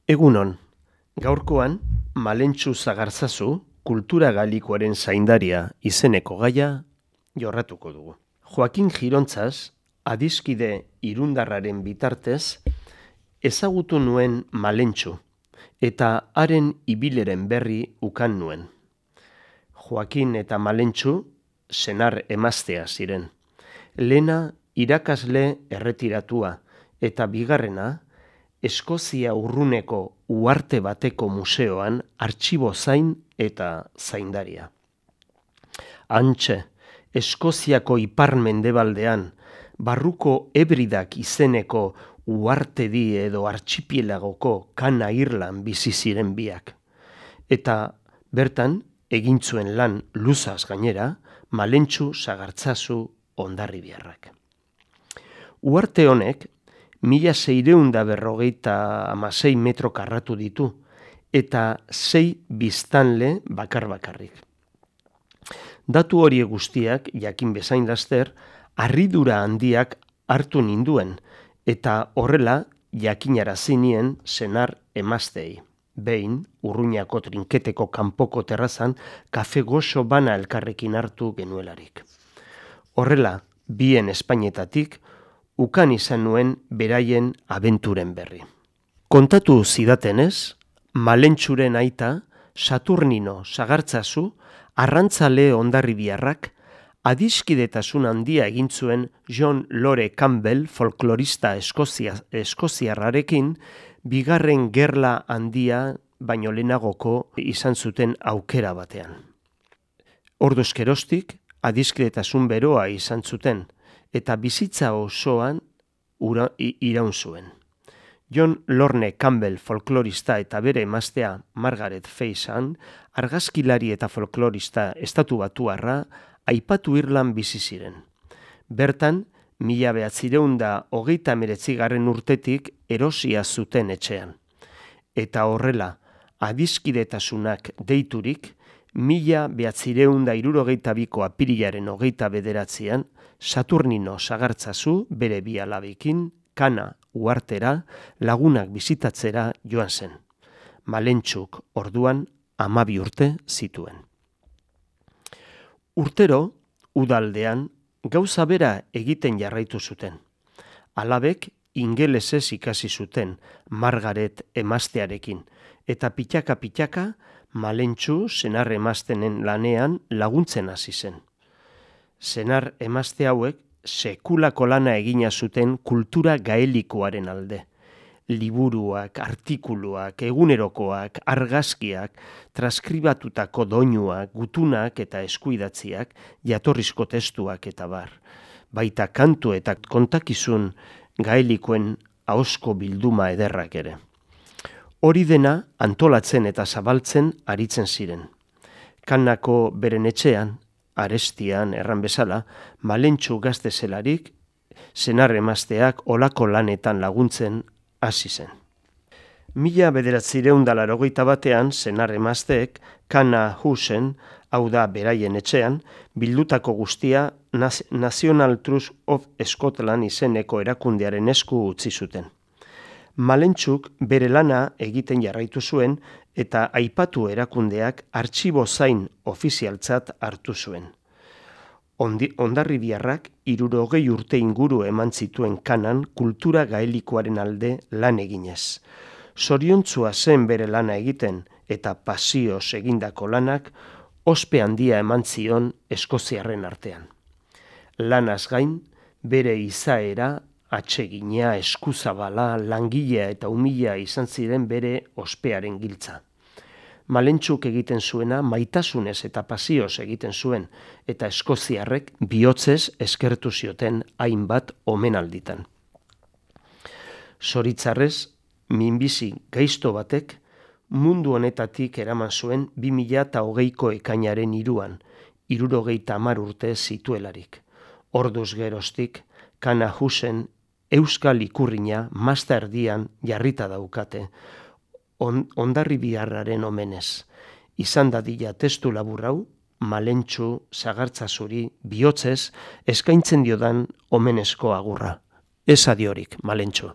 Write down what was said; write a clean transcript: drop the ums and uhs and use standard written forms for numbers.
Egunon, gaurkoan Malentxu Zagartzazu kultura galikoaren zaindaria izeneko gaia jorratuko dugu. Joakin Girontzaz, adiskide irundarraren bitartez, ezagutu nuen Malentxu eta haren ibileren berri ukan nuen. Joakin eta Malentxu senar emaztea ziren. Lehena irakasle erretiratua eta bigarrena Eskozia urruneko uharte bateko museoan artxibo zain eta zaindaria. Hantxe, Eskoziako ipar-mendebaldean, barruko Hebridak izeneko uhartedi edo artxipielagoko Kana Irlan bizi ziren biak. Eta bertan, egin zuen lan luzaz gainera, Malentxu Zagartzazu Hondarribiarrak. Uharte honek 1656 metro karratu ditu, eta 6 biztanle bakar-bakarrik. Datu horiek guztiak, jakin bezain laster, harridura handiak hartu ninduen, eta horrela jakinarazi nien senar emazteei. Behin, Urruñako trinketeko kanpoko terrazan, kafe goxo bana elkarrekin hartu genuelarik. Horrela, bien Espainetatik, ukan izan nuen beraien abenturen berri. Kontatu zidatenez, Malentxuren aita, Saturnino Zagartzazu, arrantzale Hondarribiarrak, adiskidetasun handia egin zuen John Lore Campbell folklorista eskoziarrarekin, bigarren gerla handia baino lehenagoko izan zuten aukera batean. Orduz geroztik, adiskidetasun beroa izan zuten, eta bizitza osoan iraun zuen. John Lorne Campbell folklorista eta bere emaztea Margaret Faison, argazkilari eta folklorista estatubatuarra, aipatu Irlan bizi ziren. Bertan, 1929 urtetik erosia zuten etxean. Eta horrela, adiskidetasunak deiturik, 1962ko apirilaren 29 Saturnino Zagartzazu bere bi alabekin Kana uhartera lagunak bisitatzera joan zen. Malentxuk orduan 12 urte zituen. Urtero, udaldean, gauza bera egiten jarraitu zuten. Alabek ingelesez ikasi zuten Margaret emaztearekin, eta pitaka-pitaka Malentxu senar emaztenen lanean laguntzen hasi zen. Senar emazte hauek sekulako lana egina zuten kultura gaelikoaren alde. Liburuak, artikuluak, egunerokoak, argazkiak, transkribatutako doinuak, gutunak eta eskuidatziak, jatorrizko testuak eta bar. Baita kantu eta kontakizun gaelikoen ahozko bilduma ederrak ere. Hori dena antolatzen eta zabaltzen aritzen ziren. Kanako beren etxean, arestian erran bezala, Malentxu gazte zelarik, senar emazteak olako lanetan laguntzen hasi zen. 1981 senar emazteek Kana Housen, hau da beraien etxean, bildutako guztia National Trust of Scotland izeneko erakundearen esku utzi zuten. Malentxuk bere lana egiten jarraitu zuen eta aipatu erakundeak artxibo zain ofizialtzat hartu zuen. Hondarribiarrak 60 urte inguru eman zituen Kanan kultura gaelikoaren alde lan eginez. Zoriontzua zen bere lana egiten eta pasioz egindako lanak ospe handia eman zion eskoziarren artean. Lanaz gain, bere izaera, atsegina, eskuzabala, langilea eta umila izan ziren bere ospearen giltza. Malentxuk egiten zuena maitasunez eta pasioz egiten zuen, eta eskoziarrek bihotzez eskertu zioten hainbat omenalditan. Zoritzarrez, minbizi gaizto batek mundu honetatik eraman zuen 2020ko ekainaren 3an, 70 urte zituelarik. Orduz geroztik, Kana Housen euskal ikurrina masta erdian jarrita daukate, Hondarribiarraren omenez. Izan dadila testu labur hau, Malentxu Zagartzazuri bihotzez eskaintzen diodan omenezko agurra. Ez adiorik, Malentxu.